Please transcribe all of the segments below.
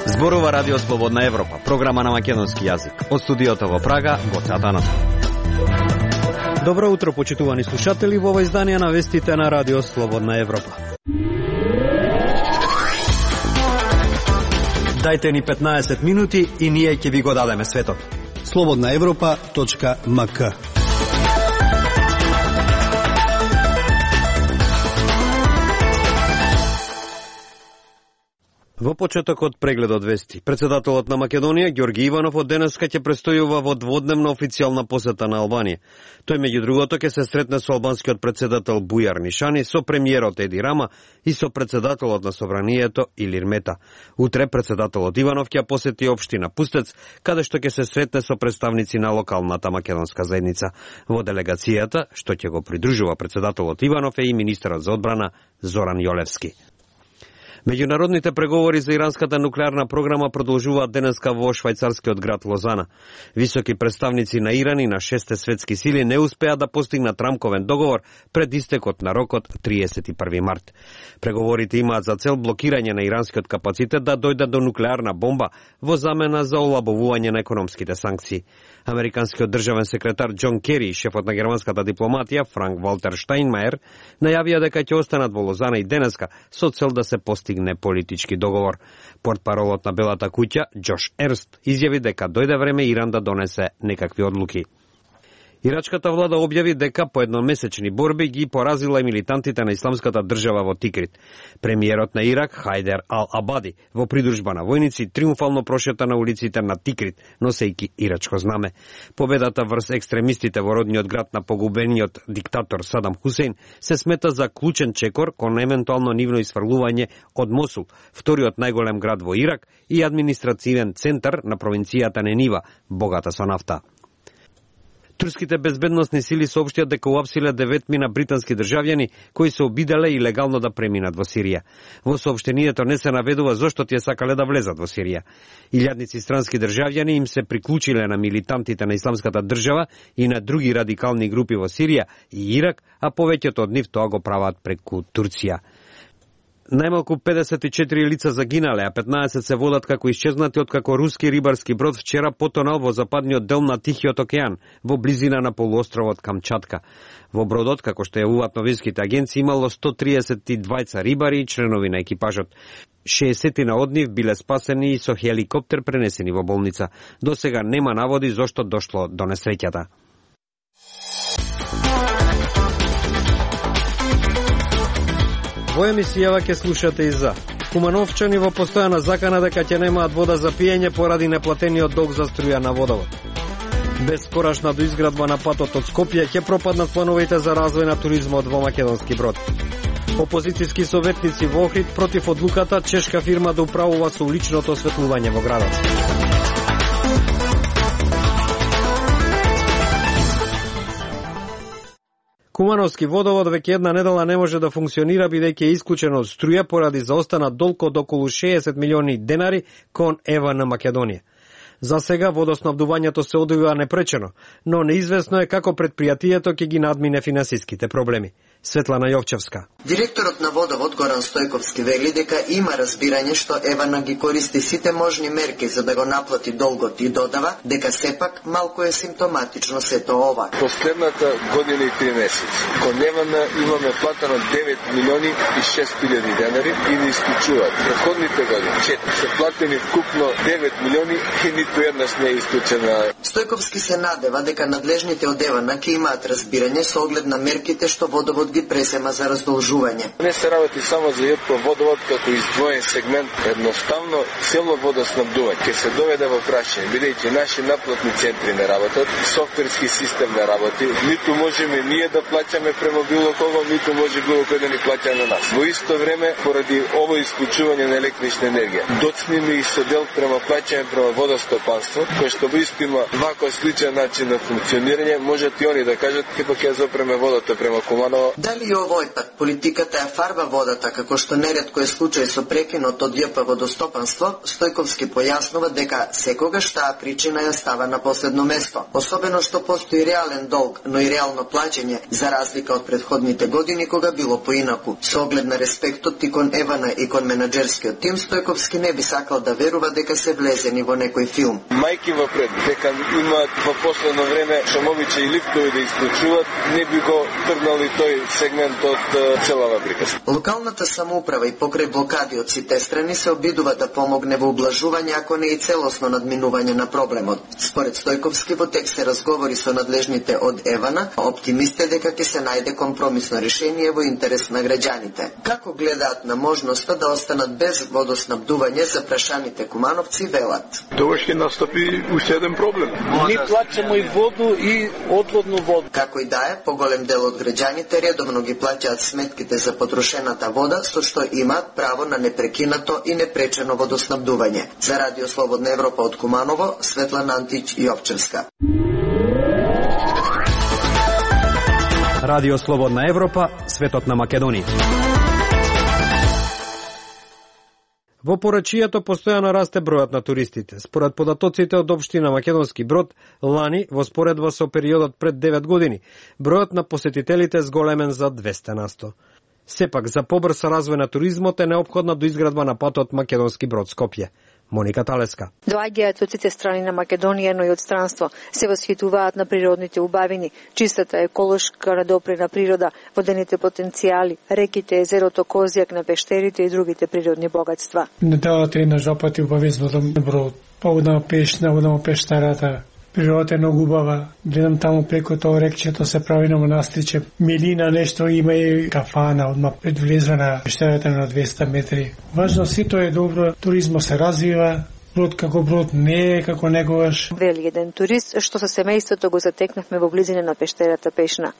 Зборува Радио Слободна Европа, програма на македонски јазик. Од студиото во Прага, Гоце Атанасов. Добро утро, почитувани слушатели, во ова издание на вестите на Радио Слободна Европа. Дајте ни 15 минути и ние ќе ви го дадеме светот. slobodnaevropa.mk. Во почетокот прегледот вести, председателот на Македонија Ѓорги Иванов од денеска ќе престојува во дводневна официјална посета на Албанија. Тој меѓу другото ќе се сретне со албанскиот председател Бујар Нишани, со премиерот Еди Рама и со председателот на Собранието Илир Мета. Утре председателот Иванов ќе посети општина Пустец, каде што ќе се сретне со представници на локалната македонска заедница. Во делегацијата, што ќе го придружува председателот Иванов, е и министерот за одбрана Зоран Јолевски. Меѓународните преговори за иранската нуклеарна програма продолжуваат денеска во швајцарскиот град Лозана. Високи представници на Иран и на 6 светски сили не успеа да постигнат рамковен договор пред истекот на рокот 31 март. Преговорите имаат за цел блокирање на иранскиот капацитет да дојде до нуклеарна бомба во замена за олабовување на економските санкции. Американскиот државен секретар Џон Кери и шефот на германската дипломатија Франк Валтер Штајнмајер најавија дека ќе останат во Лозана и денеска со цел да се постигне политички договор. Портпаролот на Белата куќа Џош Ерст изјави дека дојде време Иран да донесе некакви одлуки. Ирачката влада објави дека по едномесечни борби ги поразила и милитантите на исламската држава во Тикрит. Премиерот на Ирак Хајдер Ал-Абади во придружба на војници триумфално прошета на улиците на Тикрит, носејќи ирачко знаме. Победата врз екстремистите во родниот град на погубениот диктатор Садам Хусеин се смета за клучен чекор кон евентуално нивно исфрлување од Мосул, вториот најголем град во Ирак и административен центар на провинцијата Ненива, богата со нафта. Турските безбедносни сили соопштија дека уапсиле 9 британски државјани кои се обиделе илегално да преминат во Сирија. Во соопштението не се наведува зошто тие сакале да влезат во Сирија. Илјадници странски државјани им се приклучиле на милитантите на исламската држава и на други радикални групи во Сирија и Ирак, а повеќето од нив тоа го прават преку Турција. Најмалку 54 лица загинале, а 15 се водат како исчезнати откако руски рибарски брод вчера потонал во западниот дел на Тихиот океан, во близина на полуостровот Камчатка. Во бродот, како што јавуваат новинските агенции, имало 132 рибари и членови на екипажот. 60 од нив биле спасени и со хеликоптер пренесени во болница. До сега нема наводи зошто дошло до несреќата. Во емисијава ќе слушате и за кумановчани во постојана закана дека ќе немаат вода за пиење поради неплатениот долг за струја на водовод. Бескорашна доизградба на патот од Скопје ќе пропаднат плановите за развој на туризмот во Македонски Брод. Опозицијски советници во Охрид против одлуката чешка фирма да управува со уличното осветлување во градот. Кумановски водовод веќе една недела не може да функционира бидејќи е исклучен од струја поради заостанат долг од околу 60 милиони денари кон ЕВА на Македонија. За сега водоснабдувањето се одвива непречено, но неизвестно е како предпријатието ќе ги надмине финансиските проблеми. Светлана Јовчевска. Директорот на водовод Горан Стојковски вели дека има разбирање што Евана ги користи сите можни мерки за да го наплати долгот и додава дека сепак малку е симптоматично сето ова. Последната година и 3 месеци кон Евана имаме платено 9 милиони и 6 хиляди денари и не исклучуваат. Предходните години 4 се платени вкупно 9 милиони и ниту еднаш не е исклучена. Стојковски се надева дека надлежните од Евана ќе имаат разбирање со оглед на мерките што водовод ги пресема за раздолжување. Не се работи само за ЈП водовод како издвоен сегмент, едноставно цело водоснабдување ќе се доведе во прашање, бидејќи наши наплатни центри не работат, софтверски систем не работи, ниту можеме ние да плаќаме према било кого, ниту може било кој да ни плаќа на нас. Во исто време, поради ово исклучување на електрична енергија, доцниме и со дел према плаќање према водостопанство, кој што во исто има вако сличен начин на функционирање, можат и они да кажат, епак ја зопреме водата према Куманово. Дали и овој пат политиката ја фарба водата, како што неретко е случај со прекинот од ЈП водостопанство, Стојковски појаснува дека секогаш таа причина ја става на последно место, особено што постои реален долг, но и реално плаќање, за разлика од претходните години кога било поинаку. Со оглед на респектот и кон Евана и кон менаџерскиот тим, Стојковски не би сакал да верува дека се влезени во некој филм. Мајки во пред, дека имаат во последно време шумовиче и лифтови да исклучуваат, не би го тргнали тој сегмент од целава приказка. Локалната самоуправа и покрај блокади од сите страни се обидува да помогне во ублажување, ако не и целосно надминување на проблемот. Според Стојковски, во текст се разговори со надлежните од Евана, оптимист е дека ќе се најде компромисно решение во интерес на граѓаните. Како гледаат на можноста да останат без водоснабдување за прашаните кумановци, велат. Тогаш ќе настапи уште еден проблем. Ни плаќамо и воду и одводну воду. Како и да е, поголем дел од граѓаните редовно ги плаќаат сметките за потрошената вода, со што имаат право на непрекинато и непречено водоснабдување. За Радио Слободна Европа од Куманово, Светлана Антич и Овчевска. Радио Слободна Европа, светот на Македонија. Во порачијето постојано расте бројот на туристите. Според податоците од општина Македонски Брод, лани, во споредба со периодот пред 9 години, бројот на посетителите зголемен за 200%. Сепак, за побрз развој на туризмот е неопходна доизградба на патот Македонски Брод-Скопје. Моника Талеска. Доаѓаат од сите страни на Македонија, но и од странство. Се восхитуваат на природните убавини, чистата еколошка надопрена природа, водените потенцијали, реките, езерото Козјак на пештерите и другите природни богатства. Неделата и на жопати убави водам Брод. Одам пешна, одам пештарата. Природата е многу убава. Гледам таму преку тоа рекчето се прави на монастиче. Милина нешто има и кафана, одма пред влезва на пещерата на 200 метри. Важно сито е добро, туризмот се развива, Брод како Брод не е како некогаш. Вели еден турист што со семејството го затекнавме во близина на пештерата Пешна.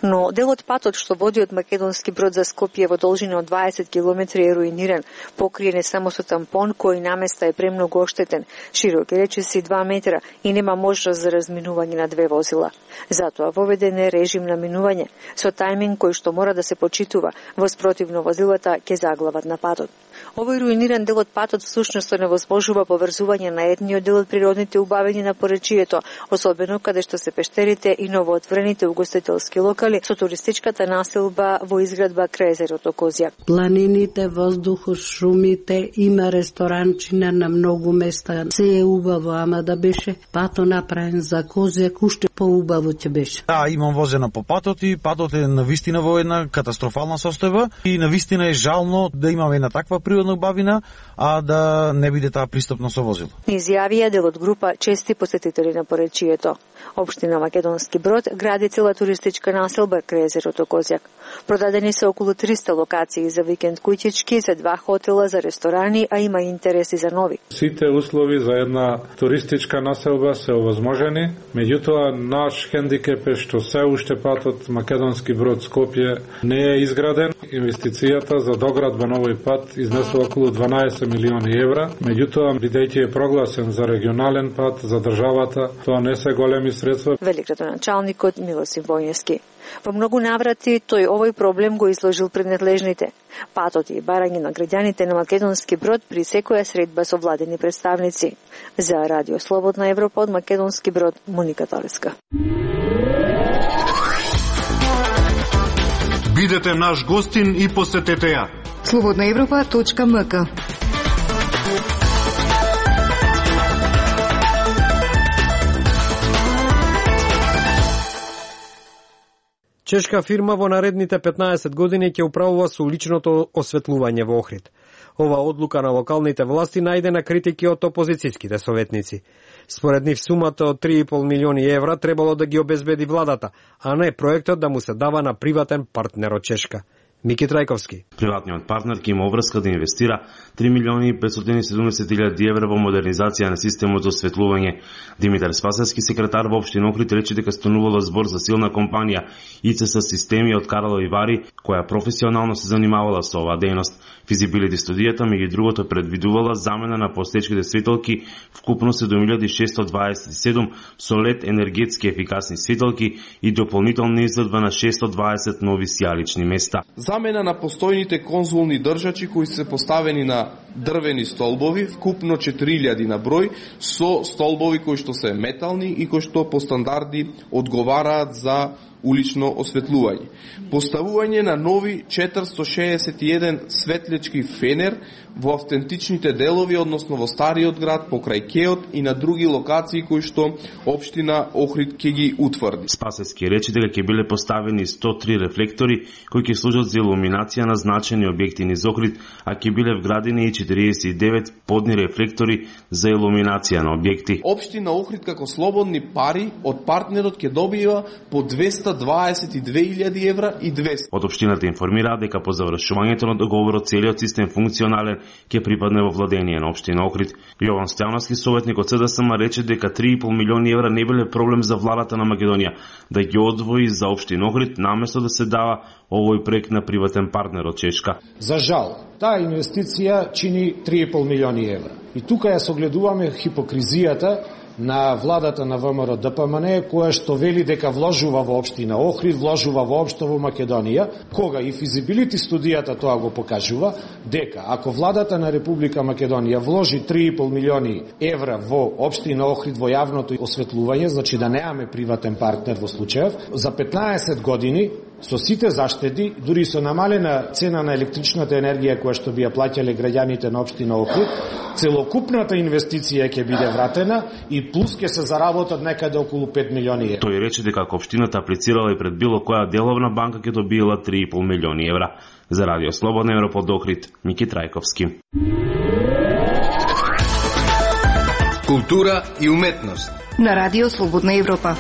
Но дел од патот што води од Македонски Брод за Скопје во должина од 20 км е руиниран, покриен е само со тампон кој наместа е премногу оштетен, широк е речиси 2 метра и нема можност за разминување на 2 возила. Затоа воведен е режим на минување со тајминг кој што мора да се почитува, во спротивно возилата ќе заглават на патот. Овој руиниран дел од патот всушност невозможува поврзување на едниот дел од природните убавини на поречието, особено каде што се пештерите и новоотворените угостителски локали со туристичката населба во изградба крај езерото Козјак. Планините, воздухот, шумите, има ресторанчина на многу места. Се е убаво, ама да беше пато направен за Козјак, уште поубаво ќе беше. Да, имам возена по патот и патот е навистина во една катастрофална состојба и навистина е жално да имаме една таква природна убавина, а да не биде таа пристапна со возило. Изјавија дел од група чести посетители на поречието. Општина Македонски Брод гради цела туристичка населба крај езерото Козјак. Продадени се околу 300 локации за викенд куќички, за 2 хотела, за ресторани, а има интереси за нови. Сите услови за една туристичка населба се овозможени, меѓутоа наш хендикеп е што се уште патот Македонски Брод Скопје не е изграден. Инвестицијата за доградба на овој пат изнесува околу 12 милиони евра, меѓутоа бидејќи е прогласен за регионален пат за државата, тоа не се големи средства. Вели градоначалникот Милосим Војневски. Во многу наврати тој овој проблем го изложил пред надлежните. Патот и барање на граѓаните на Македонски Брод при секоја средба со владени представници. За Радио Слободна Европа од Македонски Брод, Моника Талеска. Бидете наш гостин и посетете ја. slobodnaevropa.mk. Чешка фирма во наредните 15 години ќе управува со уличното осветлување во Охрид. Ова одлука на локалните власти најде на критики од опозицијските советници. Според нив сумата од 3,5 милиони евра требало да ги обезбеди владата, а не проектот да му се дава на приватен партнер од Чешка. Мики Трајковски. Приватниот партнер ќе има обврска да инвестира 3.570.000 евра во модернизација на системот за осветлување. Димитар Спасевски, секретар во општина Охрид, рече дека станувала збор за силна компанија ИЦС системи од Карлови Вари, која професионално се занимавала со оваа дејност. Физибилити студијата, меѓу другото, предвидувала замена на постоечките светилки вкупно 7.627 со LED енергетски ефикасни светилки и дополнителна изградба на 620 нови сијалични места. Замена на постојните конзолни држачи кои се поставени на дрвени столбови, вкупно 4000 на број, со столбови кои што се метални и кои што по стандарди одговараат за улично осветлување. Поставување на нови 461 светлечки фенер во автентичните делови, односно во стариот град, покрај Кеот и на други локации кои што општина Охрид ќе ги утврди. Спасевски рече дека ќе биле поставени 103 рефлектори кои ќе служат за илуминација на значени објекти низ Охрид, а ќе биле вградени и 49 подни рефлектори за илуминација на објекти. Општина Охрид како слободни пари од партнерот ќе добива по 222.000 евра и 200. Од општината информираат дека по завршувањето на договорот целиот систем функционален ќе припадне во владење на општина Охрид. Јован Стојановски, советник од СДСМ, рече дека 3,5 милиони евра не биле проблем за владата на Македонија да ги одвои за општина Охрид, наместо да се дава овој проект на приватен партнер од Чешка. За жал, таа инвестиција чини 3,5 милиони евра. И тука ја согледуваме хипокризијата на владата на ВМРО ДПМН, која што вели дека вложува во општина Охрид, вложува воопшто во Македонија, кога и физибилити студијата тоа го покажува, дека ако владата на Република Македонија вложи 3,5 милиони евра во општина Охрид во јавното осветлување, значи да немаме приватен партнер во случајов, за 15 години со сите заштеди, дури со намалена цена на електричната енергија која што би ја плаќале граѓаните на општина Охрид, целокупната инвестиција ќе биде вратена и плюс ќе се заработат некаде околу 5 милиони евра. Тој рече дека ако општината аплицирала и пред било која деловна банка ќе добиела 3,5 милиони евра. За Радио Слободна Европа од Охрид, Мики Трајковски. Култура и уметност на Радио Слободна Европа.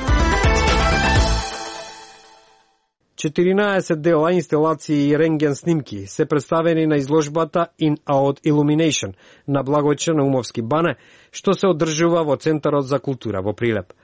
14 дела, инсталации и рентген снимки се представени на изложбата In Out Illumination на Благојче Наумовски бане, што се одржува во Центарот за култура во Прилеп.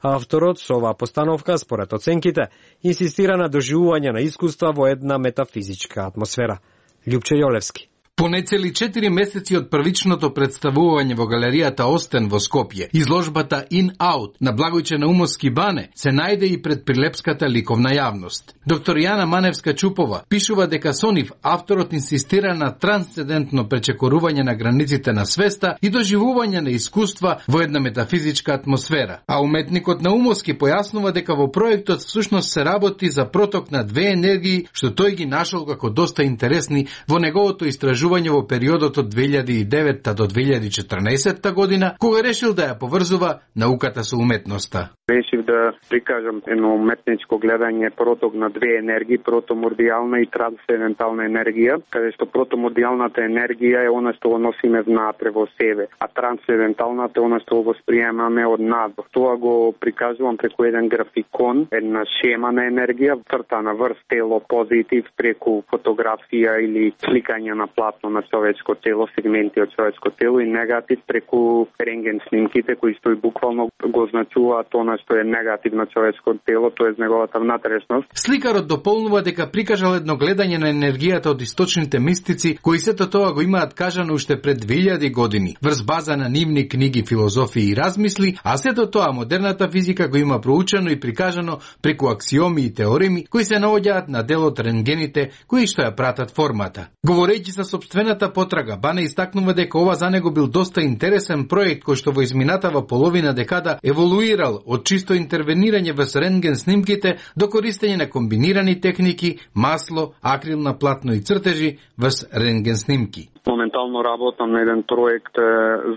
Авторот со оваа постановка, според оценките, инсистира на доживување на искуства во една метафизичка атмосфера. Љупче Јолевски. По нецели 4 месеци од првичното представување во галеријата Остен во Скопје, изложбата In Out на Благојче Наумовски бане се најде и пред прилепската ликовна јавност. Доктор Јана Маневска-Чупова пишува дека со нив авторот инсистира на трансцендентно пречекорување на границите на свеста и доживување на искуства во една метафизичка атмосфера. А уметникот Наумовски појаснува дека во проектот всушност се работи за проток на две енергии, што тој ги нашол како доста интересни во неговото истражување во периодот од 2009 до 2014 година, кога решил да ја поврзува науката со уметноста. Решив да прикажам едно уметничко гледање проток на две енергии, протомордијална и трансцендентална енергија, каде што протомордијалната енергија е она што го носиме внатре во себе, а трансценденталната е она што го восприемаме од надвор. Тоа го прикажувам преку еден графикон, една шема на енергија, цртана врз тело, позитив, преку фотографија или сликање на платно на човечко тело, сегменти од човечко тело, и негатив преку рентген снимките кои што и буквално го означуваат она што е негатив на човечко тело, тоа е неговата внатрешност. Сликарот дополнува дека прикажал едно гледање на енергијата од источните мистици, кои сето тоа го имаат кажано уште пред 2000 години, врз база на нивни книги, филозофии и размисли, а сето тоа модерната физика го има проучено и прикажано преку аксиоми и теореми кои се наоѓаат на дел од рентгените кои што ја пратат формата. Говорејќи за собствената потрага, Бане истакнува дека ова за него бил доста интересен проект кој што во изминатава половина декада еволуирал од чисто интервенирање во рентген снимките до користење на комбинирани техники, масло, акрилна платно и цртежи во рентген снимки. Моментално работам на еден проект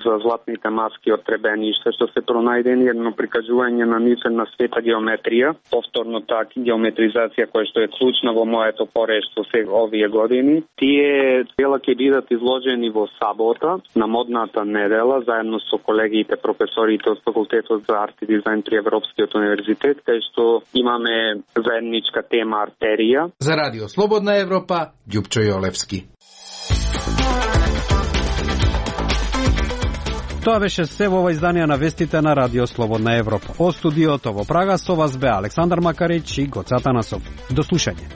за златните маски од Требениште, што се пронајдени едно прикажување на нивна света геометрија, повторно така геометризација која што е клучна во моето порештво се овие години. Тие дела ќе бидат изложени во сабота на модната недела заедно со колегите професорите од факултетот за арт и дизајн при Европскиот универзитет, кај што имаме заедничка тема артерија. За Радио Слободна Европа, Ѓупчо Јолевски. Тоа беше се во ова издание на вестите на Радио Слободна Европа. Од студиото во Прага со вас бе Александар Макарич и Гоце Атанасов. До слушање.